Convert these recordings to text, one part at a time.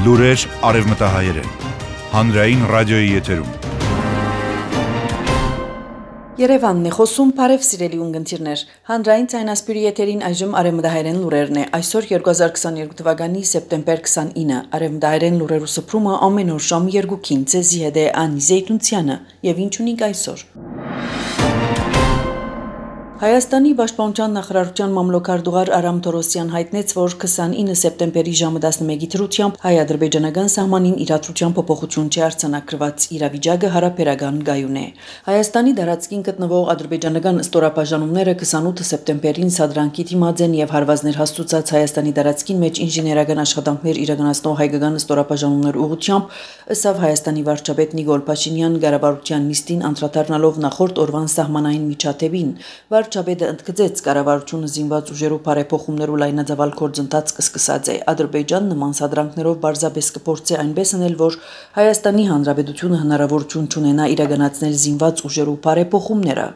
Լուրեր արևմտահայերեն, հանրային ռադիոյի եթերում։ Երևանն է խոսում, բարև սիրելի ունգընտիրներ, հանրային ցայնասպյուրի եթերին այժմ արևմտահայերեն լուրերն է, այսօր 2022 թվականի սեպտեմբեր 29, արևմտահայերեն լուրերու սփռումը ամեն օր ժամ 2-ին ցեզի հետ է Անի Զեյթունցյանը, եւ ինչ ունենք այսօր։ Հայաստանի Պաշտպանության նախարարության մամլոքարտուղար Արամ Թորոսյան հայտնեց, որ 29 սեպտեմբերի ժամը 11-ի դրությամբ հայ-ադրբեջանական սահմանին իրադրության փոփոխություն չի արձանագրված, իրավիճակը հարաբերական գայուն է։ Հայաստանի դարածքին գտնվող ադրբեջանական ստորաբաժանումները 28 սեպտեմբերին սադրանքի դիմաց են եւ հարվածներ հաստուցած Հայաստանի դարածքին մեջ ինժեներական աշխատանքներ իրականացնող հայկական ստորաբաժանումներ ուղղությամբ, ըստ Հայաստանի վարչապետ Նիկոլ Փաշինյան ղեկավարության նիստին անդրադառնալով նախորդ օրվան սահմանային միջադեպին, Վարչապետը ընդգծեց կառավարությունը զինված ուժերու բարեփոխումներու լայնածավալ գործընթաց կսկսած է։ Ադրբեջան նման սադրանքներով բարձրապես կփորձի այնպես անել, որ Հայաստանի Հանրապետությունը հնարավորություն չունենա իրականացնել զինված ուժերու բարեփոխումները։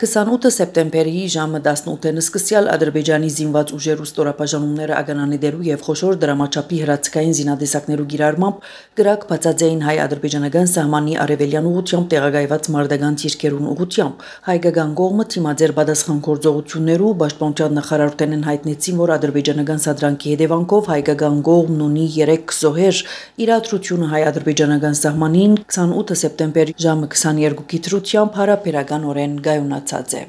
28 սեպտեմբերի ժամը 18-ին սկսյալ Ադրբեջանի զինված ուժերու ստորաբաժանումները ագանանեդերու եւ խոշոր դրամաչափի հրացքային զինադեսակներու գիրառմամբ գրակ բացած էին հայ-ադրբեջանական սահմանի արևելյան ուղղությամբ տեղակայված մարտական թիրքերուն ուղղությամբ։ Հայկական կողմը թիմաձեր Գործողություններու Պաշտպանության նախարարութենեն հայտնեցին, որ ադրբեջանական սադրանքի հետևանքով հայկական կողմն ունի 3 զոհեր, իրադրությունը հայ-ադրբեջանական սահմանին 28 սեպտեմբերի ժամը 22-ի դրությամբ հարաբերականորեն գայունացած է։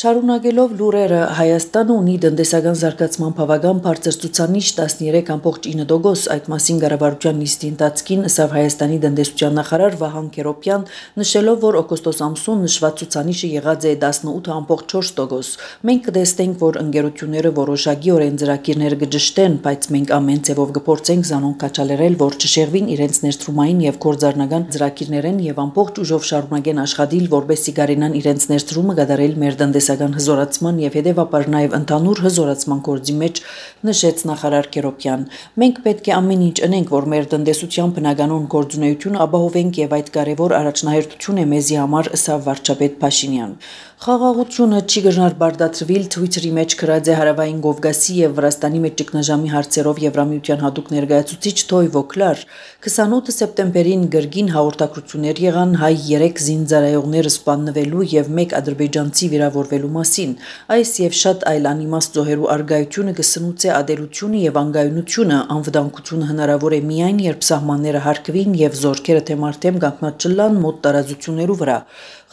Շարունակելով լուրերը, Հայաստանը ունի տնտեսական զարգացման բավական բարձր ցուցանիշ 13.9%, այդ մասին կառավարության նիստի ընթացքին ըստ Հայաստանի տնտեսության նախարար Վահան Քերոբյան նշելով, որ օգոստոս ամսուն նշված ցուցանիշը եղած է 18.4%. Մենք կտեսնենք, որ ընկերությունները որոշակիորեն ծրագիրներ կճշտեն, բայց մենք ամեն ձևով կփորձենք զանոն կաչալերել, որ չշեղվին իրենց ներդրումային եւ գործառնական ծրագիրներեն եւ ամբողջ ուժով շարունակեն աշխատել, որպեսզի կարենան իրենց ներդրումը կատարել մեր տնտեսական հզորացման եւ հետեւաբար նաեւ ընդհանուր հզորացման գործի մեջ, նշեց նախարար Քերոբյան։ Մենք պետք է ամեն ինչ անենք, որ մեր տնտեսության բնականոն գործունեությունը ապահովենք եւ այդ կարեւոր առաջնահերթություն է մեզի համար, ըստ վարչապետ Փաշինյան։ Խաղաղությունը չի գժնար բարդացրվել Twitter-ի մեջ գրած է Հարավային Կովկասի եւ Վրաստանի մեջ ճգնաժամի հարցերով Եվրամիության հատուկ ներկայացուցիչ Թոյվո Կլար 28 սեպտեմբերին գրգին հաղորդակցություններ եղան հայ 3 զինծառայողներ սպանվելու եւ 1 ադրբեջանցի վիրավորվելու մասին։ Այս եւ շատ այլ անիմաստ զոհերու արգայությունը կսնուցե ադելությունը եւ անգայունությունը, անվտանգությունը հնարավոր է միայն երբ սահմանները հարգվին եւ զորքերը թեմարտեմ կանգնած չլան մոտ տարածություններու վրա։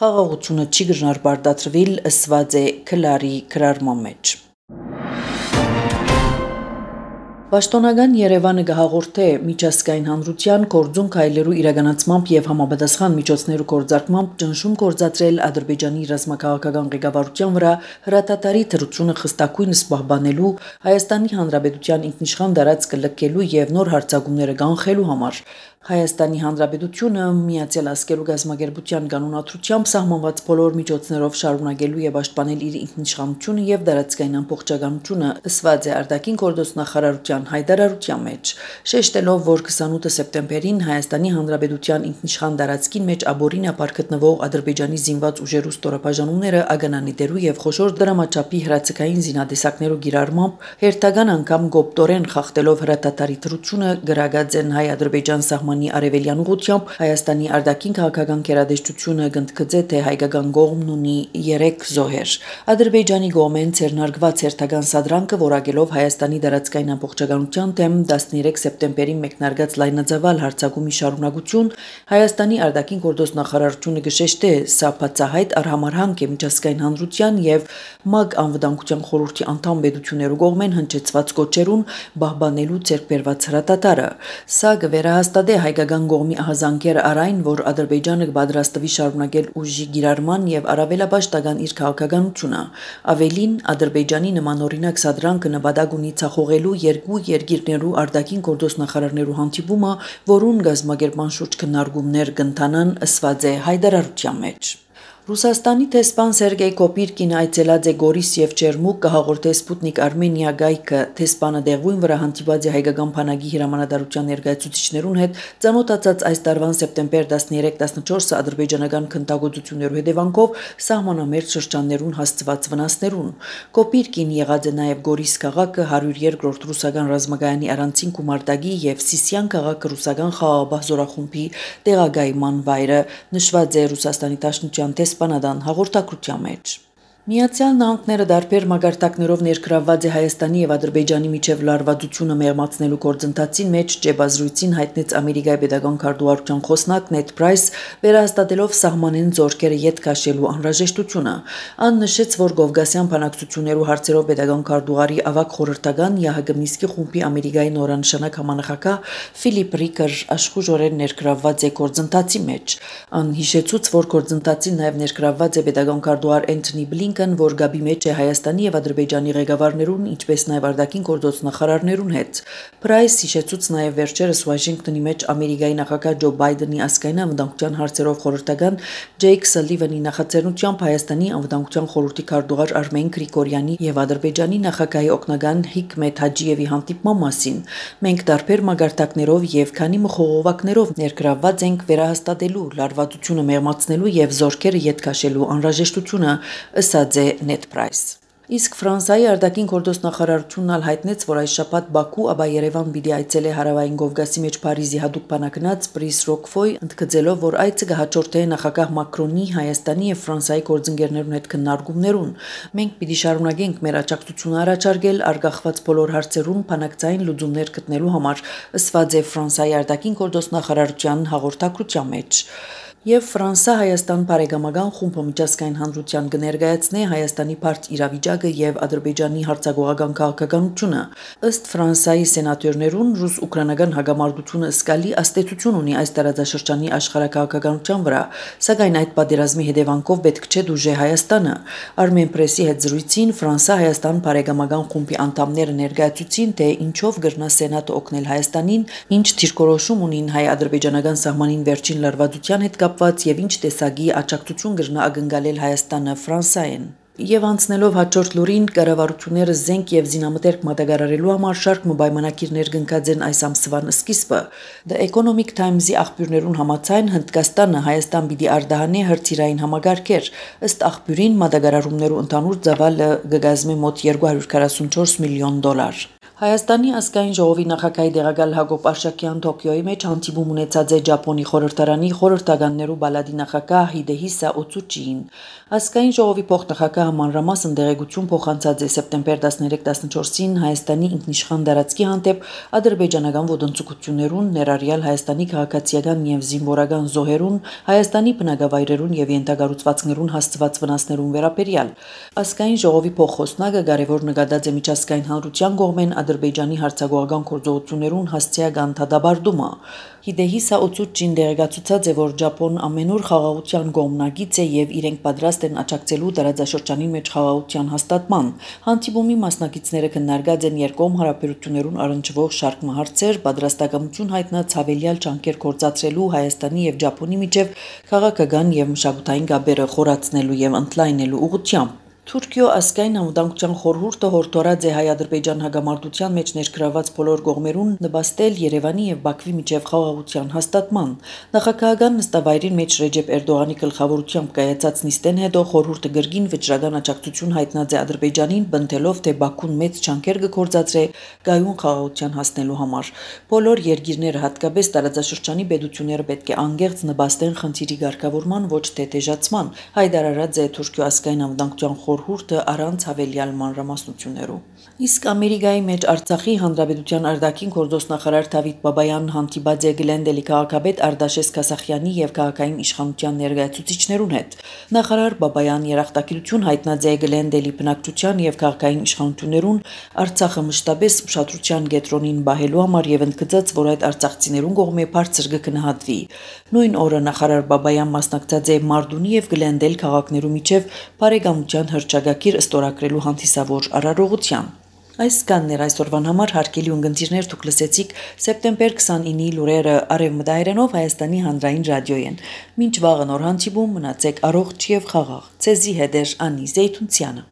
Խաղաղությունը չի գժնար բարդացրվել, ըսված է Քլարի գրառման մեջ։ Պաշտոնական Երևանը կհաղորդե միջազգային հանրության գործուն քայլերու իրականացմամբ եւ համապատասխան միջոցներու կորձարկմամբ ճնշում կորձացրել Ադրբեջանի ռազմաքաղաքական ղեկավարության վրա հրատատարի թրությունը խստակույնս պահպանելու, Հայաստանի Հանրապետության ինքնիշխան տարածքը լքելու եւ նոր հարձակումները կանխելու համար։ Հայաստանի Հանրապետությունը Միացյալ Ազգերու Գազམ་ագերբության կանոնադրությամբ սահմանված բոլոր միջոցներով շարունակելու եւ պաշտպանել իր ինքնիշխանությունը եւ դարածքային ամբողջականությունը, ըստ է արտաքին գործոստ նախարարության հայտարարության մեջ, շեշտելով, որ 28 սեպտեմբերին Հայաստանի Հանրապետության ինքնիշխան դարածքին մեջ աբորին ապար գտնվող Ադրբեջանի զինված ուժերու ստորաբաժանումները ագանանեդերու եւ խոշոր դրամաչափի հրացքային զինադեսակներու գիրառմամբ հերթական անգամ գոպտորեն խախտելով հրատատարի թրությունը գրագած են հայ-ադրբեջան սահմանի արևելյան ուղությամբ Հայաստանի արտաքին քաղաքական գերատեսչությունը գնդգծե թե հայկական կողմն ունի 3 զոհեր։ Ադրբեջանի կողմեն ցերնարգված հերթական սադրանքը որակելով Հայաստանի դարածքային ամբողջականության դեմ 13 սեպտեմբերին մեկնարկած լայնածավալ հարձակումի շարունակություն Հայաստանի արտաքին գործոստ նախարարությունը գշեշտե սա բացահայտ արհամարհանք է միջազգային հանրության եւ ՄԱԿ անվտանգության խորհրդի անդամ պետություններու կողմեն հնչեցված կոչերուն պահպանելու ձեռքբերված հրատատարը։ Սա կվերահաստատե հայկական կողմի ահազանգերը առայն, որ Ադրբեջանը կպատրաստվի շարունակել ուժի գիրառման եւ առավելապաշտական իր քաղաքականությունը։ Ավելին, Ադրբեջանի նմանօրինակ սադրանքը նպատակ ունի ցախողելու երկու երկիրներու արտաքին գործոստ նախարարներու հանդիպումը, որուն գազམ་ագերբման շուրջ քննարկումներ կընթանան, ըստ է հայտարարության մեջ։ Ռուսաստանի տեսփան Սերգեյ Կոպիրկին այցելած է Գորիս եւ Չերմուկ կհաղորդե Սպուտնիկ Արմենիա գայքը տեսփանը դեղույն վրա հանդիպած է հայկական բանակի հրամանատարության ներկայացուցիչներուն հետ ծանոթացած այս տարվան սեպտեմբեր 13-14-ը ադրբեջանական քննադատություններու հետևանքով սահմանամերձ շրջաններուն հասցված վնասներուն։ Կոպիրկին եղած է նաեւ Գորիս քաղաքը 102-րդ ռուսական ռազմագայանի առանցին գումարտակի եւ Սիսիան քաղաքը ռուսական խաղաղապահ զորախումբի տեղագայման վայրը, նշված է Ռուսաստանի Դաշնության Սպանադան հաղորդակցության մեջ։ Միացյալ Նահանգները դարբեր մագարտակներով ներգրավված է Հայաստանի եւ Ադրբեջանի միջև լարվածությունը մեղմացնելու գործընթացին մեջ ճեպազրույցին հայտնեց Ամերիկայի pedagogan քարտուղարության խոսնակ Նեդ Պրայս, վերահաստատելով սահմանեն զորքերը յետ քաշելու անհրաժեշտությունը։ Ան նշեց, որ Կովկասյան բանակցություններու հարցերով pedagogan քարտուղարի ավագ խորհրդական ՀՀԳ Մինսկի խումբի Ամերիկայի նորանշանակ համանախագահ Ֆիլիպ Ռիկեր աշխուժորեն ներգրավված է գործընթացի մեջ։ Ան հիշեցուց, որ գործընթացին նաեւ ներգրավված է pedagogan քարտուղար Էնթոնի Բլինքեն, որ գաբի մեջ է Հայաստանի եւ Ադրբեջանի ղեկավարներուն, ինչպես նաեւ արտաքին գործոց նախարարներուն հետ։ Պրայս հիշեցուց նաեւ վերջերս Վաշինգտոնի մեջ Ամերիկայի նախագահ Ջո Բայդենի ասկային անվտանգության հարցերով խորհրդական Ջեյք Սալիվանի նախաձեռնությամբ Հայաստանի անվտանգության խորհրդի քարտուղար Արմեն Գրիգորյանի եւ Ադրբեջանի նախագահի օգնական Հիկմետ Հաջիևի հանդիպման մասին։ Մենք դարբեր մագարտակներով եւ քանի մխողովակներով ներգրավված ենք վերահաստատելու լարվածությունը մեղմացնելու եւ զորքերը յետ քաշելու անհրաժեշտությունը, ըսած է Նեդ Պրայս։ Իսկ Ֆրանսիայի արտաքին գործոց նախարարությունն ալ հայտնեց, որ այս շաբաթ Բաքու, ապա Երևան պիտի այցելե հարավային Կովկասի մեջ Փարիզի հատուկ բանակնած Պրիս Ռոկֆոյ, ընդգծելով, որ այցը կհաջորդե նախագահ Մակրոնի Հայաստանի եւ Ֆրանսիայի գործընկերներուն հետ քննարկումներուն։ Մենք պիտի շարունակենք մեր աջակցությունը առաջարկել արգախված բոլոր հարցերուն բանակցային լուծումներ գտնելու համար, ըսված է Ֆրանսիայի արտաքին գործոց նախարարության հաղորդակցության մեջ։ Եվ Ֆրանսա-Հայաստան բարեկամական խումբը միջազգային հանրության կներկայացնե Հայաստանի բարդ իրավիճակը եւ Ադրբեջանի հարձակողական քաղաքականությունը։ Ըստ Ֆրանսիայի սենատորներուն ռուս-ուկրաինական հագամարտությունը զգալի աստեցություն ունի այս տարածաշրջանի աշխարհակաղակականության վրա, սակայն այդ պատերազմի հետևանքով պետք չէ դուժե Հայաստանը։ Armen Press-ի հետ զրույցին Ֆրանսա-Հայաստան բարեկամական խումբի անդամները ներկայացուցին, թե ինչով գրնա սենատը օգնել Հայաստանին, ինչ դիրքորոշում ունին հայ-ադրբեջանական սահմանին վերջին լարվածության հետ կապված եւ ինչ տեսակի աջակցություն կրնա ակնկալել Հայաստանը Ֆրանսիային։ Եվ անցնելով հաջորդ լուրին, կառավարությունները զենք եւ զինամթերք մատակարարելու համար շարք պայմանագիրներ կնքած են այս ամսվան սկիզբը։ The Economic Times-ի աղբյուրներուն համաձայն Հնդկաստանը Հայաստան պիտի արտահանի հրթիռային համակարգեր։ Ըստ աղբյուրին մատակարարումներու ընդհանուր ծավալը կգազմի մոտ $244 միլիոն։ Հայաստանի ազգային ժողովի նախագահի դեղակալ Հակոբ Արշակյան Տոկիոյի մեջ հանդիպում ունեցած է Ճապոնի խորհրդարանի խորհրդականներու բալադի նախագահ Հիդեհիսա Օցուչին։ Ազգային ժողովի փոխնախագահը մանրամասն դեղեցություն փոխանցած է սեպտեմբեր 13-14-ին Հայաստանի ինքնիշխան տարածքի հանդեպ ադրբեջանական ոտնձգություններուն, ներառյալ Հայաստանի քաղաքացիական եւ զինվորական զոհերուն, Հայաստանի բնակավայրերուն եւ ենթակառուցվածքներուն հասցված վնասներուն վերաբերյալ։ Ազգային ժողովի փոխխոսնակը կարևոր նկատած է միջազգային հանրության կողմեն Ադրբեջանի հարձակողական գործողություններուն հասցեական դադարումը։ Հիդեհիսա Օցուչին դերակացուցած է, որ Ճապոն ամենուր խաղաղության կողմնակից է եւ իրենք պատրաստ են աջակցելու տարածաշրջանի մեջ խաղաղության հաստատման։ Հանդիպումի մասնակիցները քննարկած են երկկողմ հարաբերություններուն առնչվող շարք հարցեր, պատրաստակամություն հայտնած հավելյալ ջանքեր գործադրելու Հայաստանի եւ Ճապոնի միջև քաղաքական եւ մշակութային կապերը խորացնելու եւ ընդլայնելու ուղղությամբ։ Թուրքիո ազգային անվտանգության խորհուրդը հորդորած է հայ-ադրբեջան հագամարտության մեջ ներգրավված բոլոր կողմերուն նպաստել Երևանի եւ Բաքվի միջև խաղաղության հաստատման։ Նախագահական նստավայրին մեջ Ռեջեփ Էրդողանի գլխավորությամբ կայացած նիստեն հետո խորհուրդը գրգին վճռական աջակցություն հայտնած է Ադրբեջանին, բնթելով, թե Բաքուն մեծ ջանքեր կգործադրե գայուն խաղաղության հասնելու համար։ Բոլոր երկիրները, հատկապես տարածաշրջանի պետությունները պետք է անգերց նպաստեն խնդիրի ղեկավարման, ոչ թե դեժացման, հայտարարած է Թուրքիո ազգային անվտանգության խորհուրդը առանց հավելյալ մանրամասնություններու։ Իսկ Ամերիկայի մեջ Արցախի հանրապետության արտաքին գործոս նախարար Դավիթ Բաբայանն հանդիպած է Գլենդելի քաղաքապետ Արտաշես Քասախյանի եւ քաղաքային իշխանության ներկայացուցիչներուն հետ։ Նախարար Բաբայան երախտագիտություն հայտնած է Գլենդելի բնակչության եւ քաղաքային իշխանություններուն Արցախը մշտապես ուշադրության կենտրոնին բահելու համար եւ ընդգծած, որ այդ արցախցիներուն կողմէ բարձր կգնահատվի։ Նույն օրը նախարար Բաբայան մասնակցած է Մարդունի եւ Գլենդել քաղաքներու միջև բարեկամության հռչակագիր ստորագրելու հանդիսավոր արարողության։ Այս կաններ այսօրվան համար հարգելի ունգընտիրներ դուք լսեցիք սեպտեմբեր 29-ի լուրերը արևմտահայերենով Հայաստանի հանրային ռադիոյեն։ Մինչ վաղը նոր հանդիպում մնացեք առողջ եւ խաղաղ։ Ցեզի հետ է Անի Զեյթունցյանը։